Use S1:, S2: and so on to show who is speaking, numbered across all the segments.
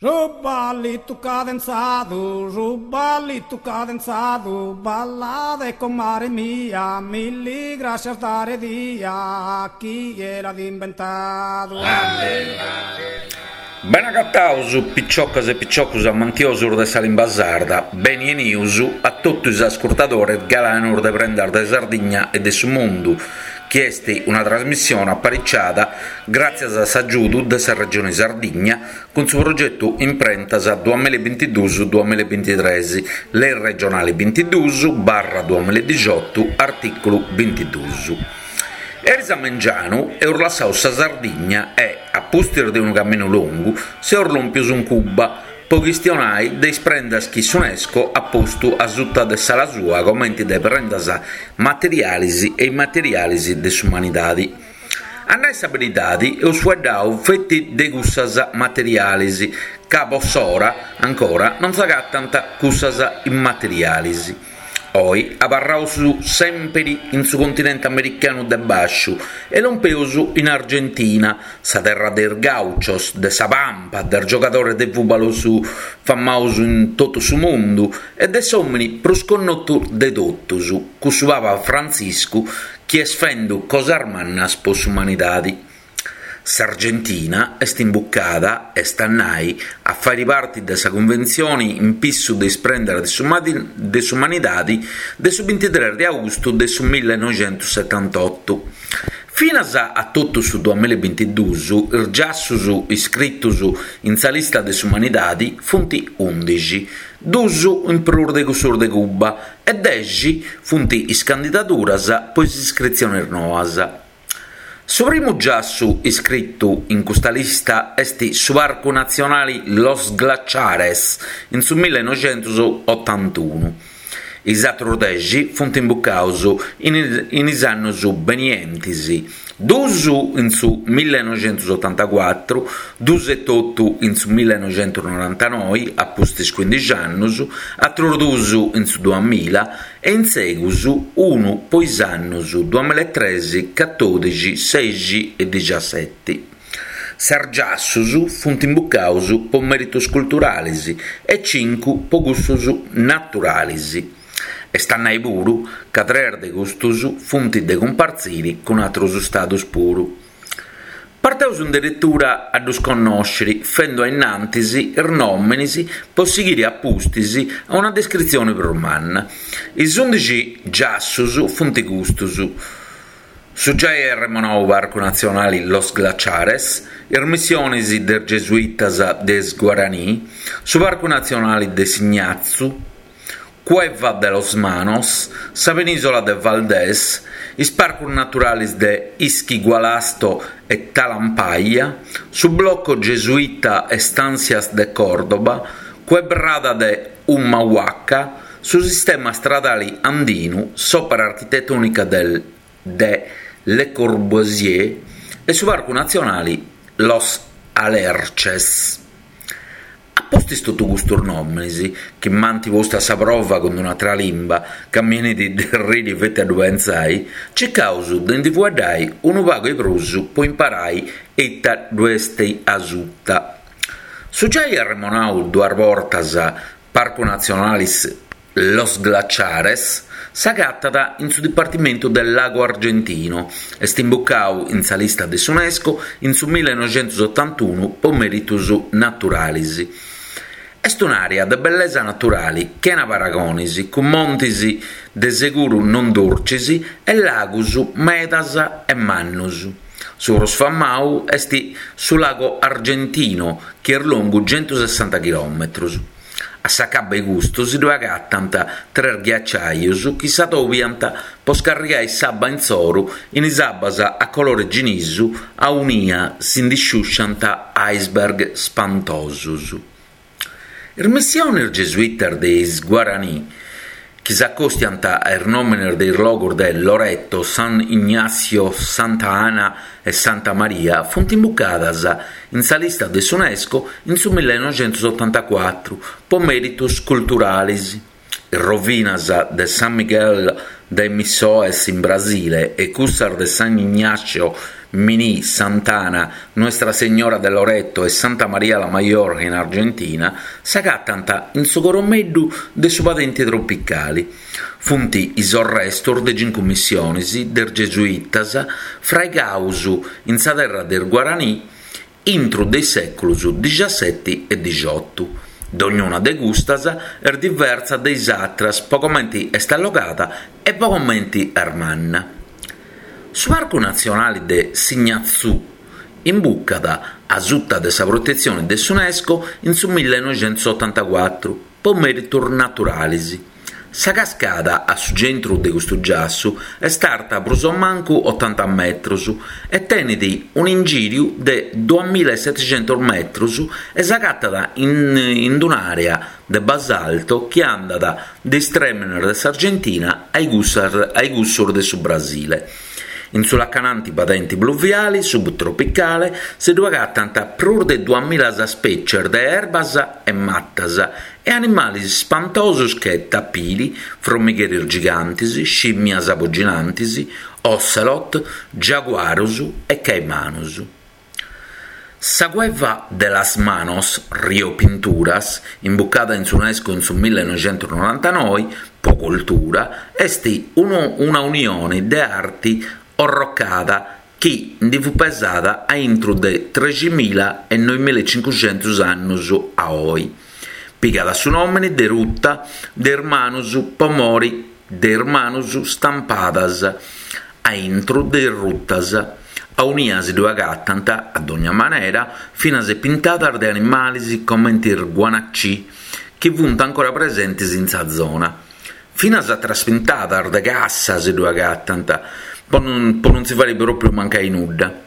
S1: Su ballitu cadenzadu, su ballitu cadenzadu, ballade comare mia, milli grascias dare dia, chie l'at imbentadu.
S2: Bene agataus, piciocas e piciocus amantiosus de sa limba sarda, beni 'enius a totu is ascurtadores galanus de Prendas de Sardigna e de su Mundu, chi est una trasmissione apariciada gràtzias a s'agiudu de sa Regione Sardigna cun su progetu Imprentas duamilla e bintiduus duamilla e bintitres, Lei regionale bintiduus barra duamilla e dixiotu, artìculu bintiduus. Eris a mengianu eus lassau sa Sardigna e, a pustis de unu caminu longu, seus lòmpius in Cuba po chistionai de is prendas chi s'Unesco at postu a suta de s'ala sua comenti de prendas materialis e immaterialis de s'umanidadi. A nai sa beridadi eus fueddau feti de cussas materialis, ca po s'ora ancora non s'agatant cussas immaterialis. Oi abarraus sèmpiri in su continenti americanu de bàsciu e lompeus in Argentina, sa terra de is gauchos, de sa pampa, de is giogadores de fùbalu famaus in totu su mundu e de s'òmini prus connotu de totus, cussu Papa Frantziscu chi est fendu cosas mannas po s'umanidadi. S'Argentina est imbucada, est a nai, a fàiri parti de sa Cunventzioni in pissu de is prendas de s'umanidadi de su bintitres de austu de su millenoixentussetantotu. Finas a totu su duamilla e bintiduus is giassus iscritus in sa lista de s'umanidadi funt undixi, dus in prus de cussus de Cuba e dexi funt is candidaduras po is iscritzionis noas. Su primu giassu iscritu in custa lista est su Parcu Natzionali Los Glaciares in su millenoixentusotantunu. Is atrus dexi funt imbucaus in is annus benientis, dus in su millenoixentusotantacuatru, dus etotu in su millenoixentusnorantanoi, a pustis cuindixi annus, atrus dus in su duamilla e in segus unu po is annus duamillaetrexi, catodixi, sexi e dixiaseti. Ses giassus funt imbucaus po meritus culturalis e cincu po cussus naturalis. Est a nai puru ca tres de custus funt de cumpartziri cun atrus stadus puru. Parteus in deretura a ddus connòsciri, fendu a innantis is nòminis po sighiri a pustis a una descritzioni prus manna. Is undixi giassus funt custus, su giai arremonau Parcu Natzionali Los Glaciares, is missionis de is Gesuitas de is Guaraní, su Parcu Natzionali de Ignazù, Cueva de los Manos, sa penìsola de Valdés, is parcus naturalis de Ischigualasto e Talampaya, su Bloco Gesuita Estancias de Córdoba, Quebrada de Humahuaca, su sistema stradali andinu, s'òpera architetònica de Le Corbusier e su parcu natzionali Los Alerces. A pustis totu custus nòminis, chi m'ant postu a sa prova cun un'atra limba, ca mi 'enit de arriri feti a ddu pentzai, circaus de ndi fueddai unu pagu 'e prus po imparai ita ddu est asuta. Su giai arremonau duas bortas Parcu Natzionalis Los Glaciares s'agatat in su dipartimentu de Lago Argentino, est imbucau in sa lista de s'Unesco in su millenoixentusotantunu po meritus naturalis. Est un'àrea de bellesa naturali chena paragonis, cun montis de seguru non durcis e lagus medas e mannus. Su prus famau est su Lago Argentino chi est longu centusessanta chilòmetrus. A s'acabbu 'e custu si ddoi agatant tres ghiaciaius chi s'atobiant po scarrigai s'abba insoru in is abbas a colore ginisu aunia si ndi sciusciant iceberg spantosus. Is missionis gesuitas de is Guaraní chi s'acostiant a is nòmenes de is logus de Loreto, San Ignacio, Santa Ana e Santa Maria funt imbucadas in sa lista de s'Unesco in su millenoixentusotantacuatru po mèritus culturalis. Is rovinas de San Miguel. de Missões in Brasile e cussas de San Ignacio Miní, Sant'Ana, Nuestra Señora de Loreto e Santa María la Mayor in Argentina, s'agatant in su coromeddu de su padenti tropicali. Funt is orrestus de cincu missionis de is gesuitas fraigaus in sa terra de is Guaranì intru de is sèculus dixaseti e dixotu. Dognuna de custas est diversa de is atras po comenti est allogada e po comenti est manna. Su Parcu Natzionali de Ignazù imbucat asuta de sa protetzioni de s'Unesco in su millenoixentusotantacuatru po mèritus naturalis. Sa cascada a su centru de custu giassu est arta prus o mancu otanta metrus e tenit un'ingìriu de duamilla e seticentus metrus e s'agatat in un'àrea de basalto chi andat de is trèmenes de s'Argentina a cussos de su Brasile. In su lacananti padenti pluviale subtropicale si ddu agatant prus de duamilla spècies de erbas e matas e animales spantosos che tapiri, fromigheris gigantes, scìmias poginantes, ocelot, giaguaros e caimanos. Sa Cueva de las Manos, Rio Pinturas, imbucada in s'Unesco in su millenoixentusnorantanoi po cultura, est una unione de arti orrocada chi ndi fut pesada a intru de treximila e noimila e cincuxentus annus a oi. Pigat su nòmini de Ruta de is Manus po mori de is manus stampadas a intru de is rutas, aunia si ddu agatant, a dogna manera, finas e pintadas de animalis comenti is guanacì, chi funt ancora presentis in sa zona. Finas atras pintadas de cassa si ddu agatant, po non si fari pròpriu mancai nudda.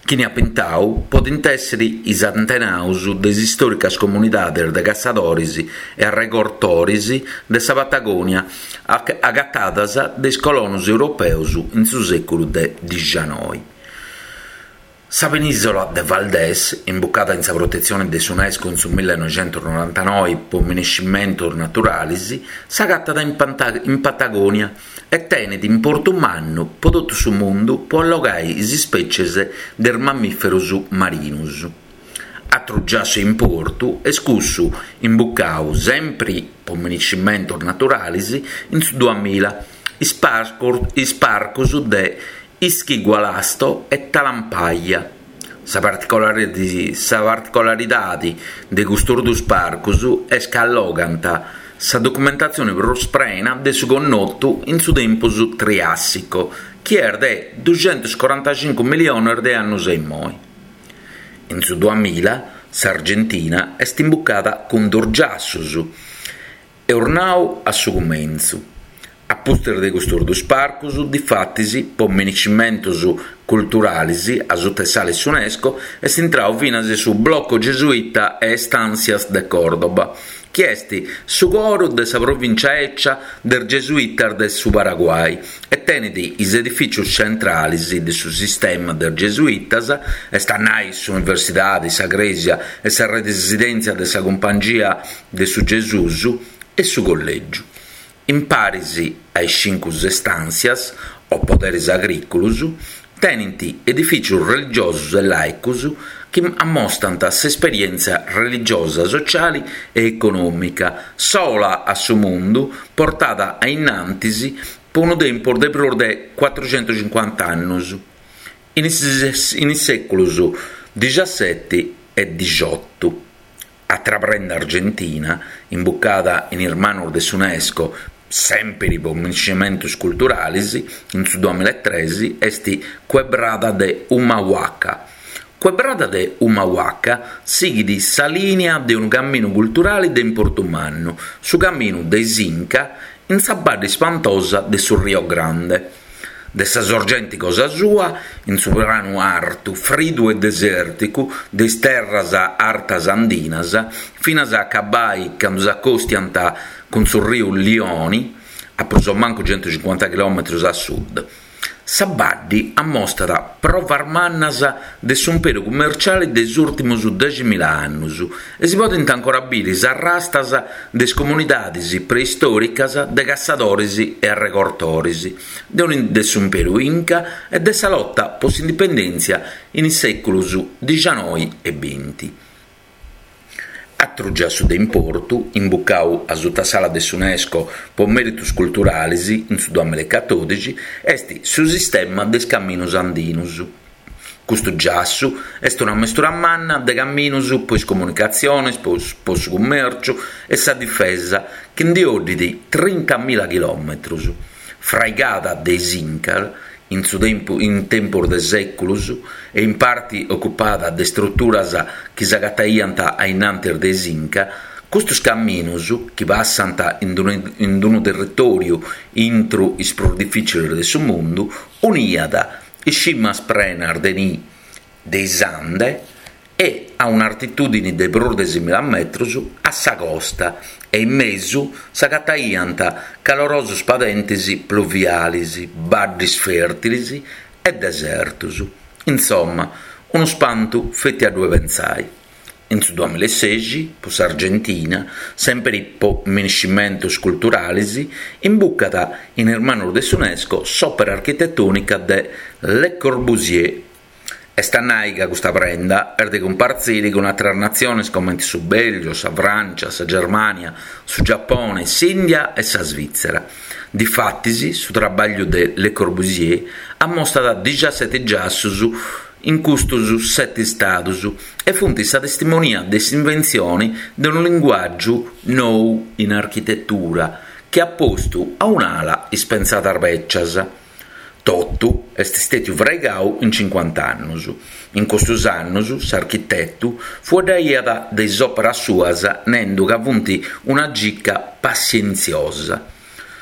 S2: Chini at pintau podint èssiri is antenaus de is istòricas comunidades de cassadoris e arregortoris de sa Patagònia agatadas de is colonos europeos in su sèculu de dixanoi. Sa penìsola de Valdés, imbucada in sa protetzione de s'Unesco in su millenoixentusnorantanoi po minescimentos naturales, s'agatat in Patagònia e tenet importu mannu po totu su mundu po allogai is ispècies de is mammìferos marinos. Atru giassu 'e importu est cussu imbucau, sempri po minescimentos naturales, in su duamilla, is parcos de Ischigualasto e Talampaya. Sa particolaridade de custos duos parcos est ca allogant sa documentatzione prus prena de su connotu in su tempus Triàssico, chi est de duxentuscorantacincu milliones de annos a immoi. In su duamilla s'Argentina est imbucada cun duos giassos, Eus nau a su cumentzu. A pustis de custos duos parcos, difatis, po minescimentos culturales a suta 'e s'ala 'e s'Unesco, est intrau finas su Blocco Gesuita e Estancias de Córdoba, chi est su coru de sa provìncia 'ecia de is Gesuitas de su Paraguay e tenet is edifìcios centrales de su sistema de is Gesuitas, est a nai s'Universidade, sa Crèsia e sa residèntzia de sa Cumpangia de su Gesùs e su Collègiu, in paris a is cincus estàntzias o poderes agrìculos, tenint edifìcios religiosos e làicos chi ammostant s'esperièntzia religiosa, sociale e econòmica sola a su mundu portada a innantis po unu tempus de prus de cuatruxentuscincuanta annos, in is sèculos dixaseti e dixotu. Atra prenda argentina, imbucada in is manos de s'Unesco, sèmpiri po minescimentos culturales, in su duamillaetres, est Quebrada de Humahuaca. Quebrada de Humahuaca sighit sa lìnia de unu caminu culturale de importu mannu, su caminu de is Inca in sa badde ispantosa de su Rio Grande. De sa sorgenti cosa sua, in su pranu artu, fridu e desèrticu de is terras artas andinas, finas a acabai candu s'acostiant cun su riu Lioni, a prus o mancu centucincuanta chilòmetrus a sud. Sa baddi ammostat provas mannas de s'umperu cummerciali de is ùrtimus deximila annus e si podint ancora biri is arrastas de is comunidadis preistòricas de cassadoris e arregortoris de s'umperu Inca e de sa lota po s'indipendèntzia in is sèculus dixanoi e binti. Atru giassu de importu, imbucau a suta s'ala de s'Unesco po mèritus culturalis in su duamilaecatòdixi, est su sistema de is caminus andinus. Custu giassu est una mestura manna de caminus po is comunicatzionis, po su cummèrciu e sa difesa chi ndi 'oddit trintamila chilòmetrus. Fraigada de is Inca in su in tempus de sèculus e in parti ocupada de struturas chi s'agataiant a innantis de is Inca, custus caminus, chi passant in unu territòriu intru is prus difìcilis de su mundu, uniat is cimas prenas de nì de is Ande e, a un'artitùdini de prus de semila metrus, a sa costa e in mesu s'agataiant calorosos padentes pluviales, baddes fèrtiles e desertos. Insomma, unu spantu feti a ddue pentzai. In su duamilaesexi, po s'Argentina, sèmpiri po miniscimentos culturales, imbucat in is manos de s'Unesco s'òpera architetònica de Le Corbusier, Est a nai ca custa prenda est de cumpartziri cun àteras natziones comente su Bèlgio, sa Frància, sa Germània, su Giapone, s'Ìndia e sa Svìtzera. Difatis, su trabàgliu de Le Corbusier ammostat dixaseti giassus in custus seti stadus e funt sa testimonia de s'inventzioni de unu linguàgiu nou in architetura chi at postu a un'ala is pentzadas bècias. Totu est stètiu fraigau in cincuant'annus. In custus annus s'architetu fueddaiat de is òperas suas nendu ca funt una gica passientziosa.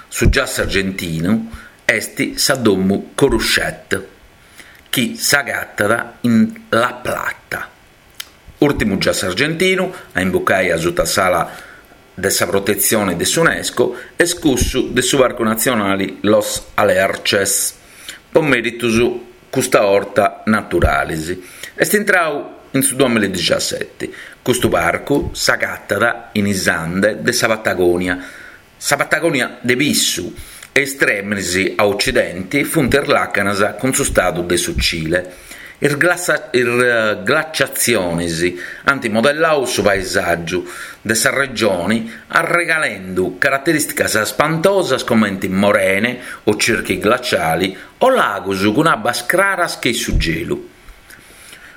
S2: Su giassu argentinu est sa domu Curutchet, chi s'agatat in La Plata. Ùrtimu giassu argentinu a imbucai asuta s'ala de sa protetzione de s'Unesco est cussu de su Parcu Natzionali Los Alerces, po mèritus custa 'orta naturalis. Est intrau in su duamiladixaseti. Custu parcu s'agatat in is Ande de sa Patagonia, sa Patagonia de pissu, e is trèminis a ocidenti funt is làcanas cun su stadu de su Cile. Is glaciatzionis ant modellau su paesàgiu de sa regioni arregalendu caraterìsticas spantosas comenti morene o circhi glaciali o lagus cun abbas craras che su gelu.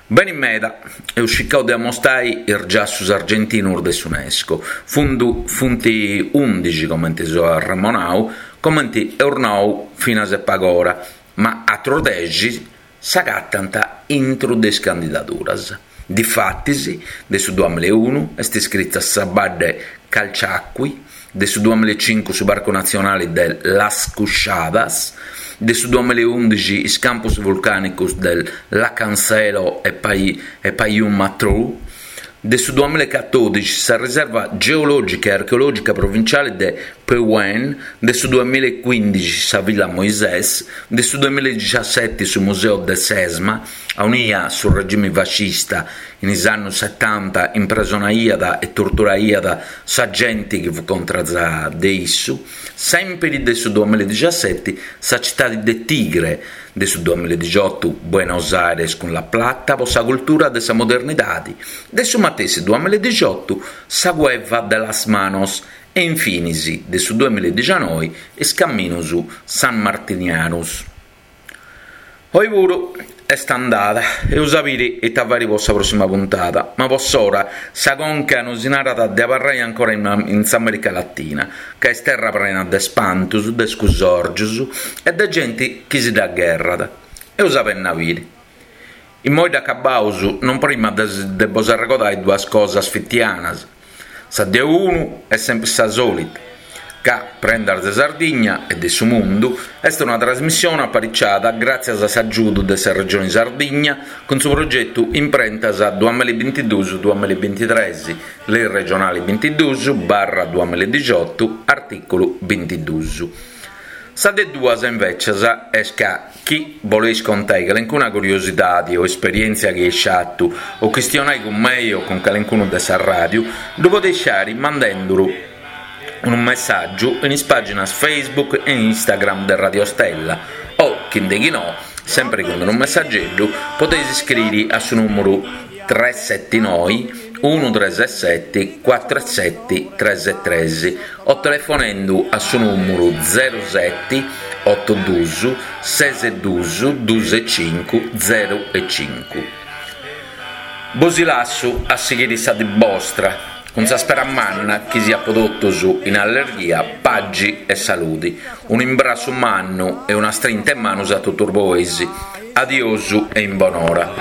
S2: Beni meda, eus circau de ammostai is giassus argentinus de s'Unesco, funt undixi comenti seu arremonau, comenti eus nau finas e pagora, ma atrus dexi s'agatant intru de is candidaduras. Difatis, de su duamilaeunu est iscrita sa badde Calchaqui, de su duamilaecincu su Parcu Natzionali de Las Cuchadas, de su duamilaeundixi is campus vulcànicus de Lakenselo e Payún Matrú, de su duamilaecatòdixi sa Riserva Geològica e Archeològica Provinciali de Pehuén, de su duamilaecuìndixi sa Villa Moisés, de su duamilaedixaseti su Museu de Sesma, aunia su regimi fascista in is annus setanta impresonaiat e torturaiat sa genti chi fut contras de issu, sèmpiri de su duamilaedixaseti sa citadi de Tigre, De su duamiladixotu Buenos Aires cun La Plata po sa cultura de sa modernidadi, de su matessi duamiladixotu sa Cueva de las Manos e infinis de su duamiladixanoi is Caminus Sanmartinianus. Oi puru est andada, eus a biri ita fairi po sa prossima puntada, ma po s'ora sa conca nosi narat de abarrai ancora in s'America Latina, ca est terra prena de spantus, de scusòrgius e de genti chi si dda gherrat. Eus a benni a biri. Immoi dd'acabaus, non prima de bos arregodai duas cosas fitianas. Sa de unu est sempri sa sòlita, ca Prendas de Sardigna e de su Mundu est una trasmissione apariciada gràtzias a s'agiudu de sa Regioni Sardigna cun su progetu Imprentas duamillabintiduus duamillabintitres, Lei regionali bintiduus barra duamilladixotu, artìculu bintiduus. Sa de duas invècias est ca chi boleis contai calencuna curiosidadi o esperièntzia chi eis fatu o chistionai cun mei o cun calencunu de sa ràdiu, ddu podeis fari mandenduru unu messàgiu in is pàginas Facebook e Instagram de Radio Stella o, chi nde chi no, sempri cun unu messageddu, podeis iscriri a su nùmuru tres seti noi unu tres seti cuatru seti tres tres o telefonendu a su nùmuru zeru seti otu dus ses dus dus e cincu zeru e cincu. Bosi lassu a sighiri sa dì bostra, cun sa spera manna chi siat po totus in allerghia, pagi e saludi. Un'imbrassu mannu e una strinta 'e manus a totus bois. Adiosu e in bonora.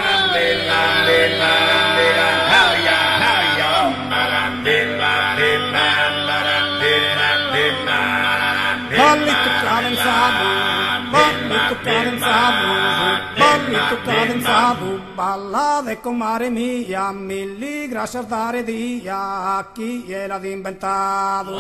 S1: Ballitu cadenzadu, ballitu cadenzadu, ballitu cadenzadu, ballade comare mia, milli grascias dare dia, chie l'at imbentadu.